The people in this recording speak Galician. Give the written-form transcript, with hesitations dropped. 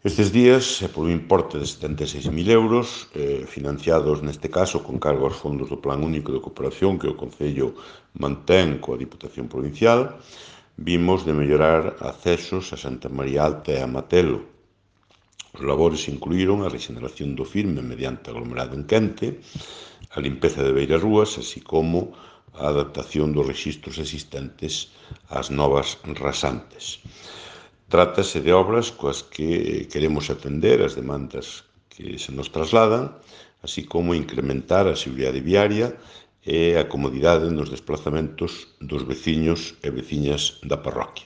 Estes días, por un importe de 76.000 euros, financiados neste caso con cargo aos fondos do Plan Único de Cooperación que o Concello mantén coa Diputación Provincial, vimos de mellorar accesos a Santa María Alta e a Matelo. Os labores incluíron a rexeneración do firme mediante aglomerado en quente, a limpeza de beirarrúas, así como a adaptación dos rexistros existentes ás novas rasantes. Trátase de obras coas que queremos atender as demandas que se nos trasladan, así como incrementar a seguridade viaria e a comodidade nos desplazamentos dos veciños e veciñas da parroquia.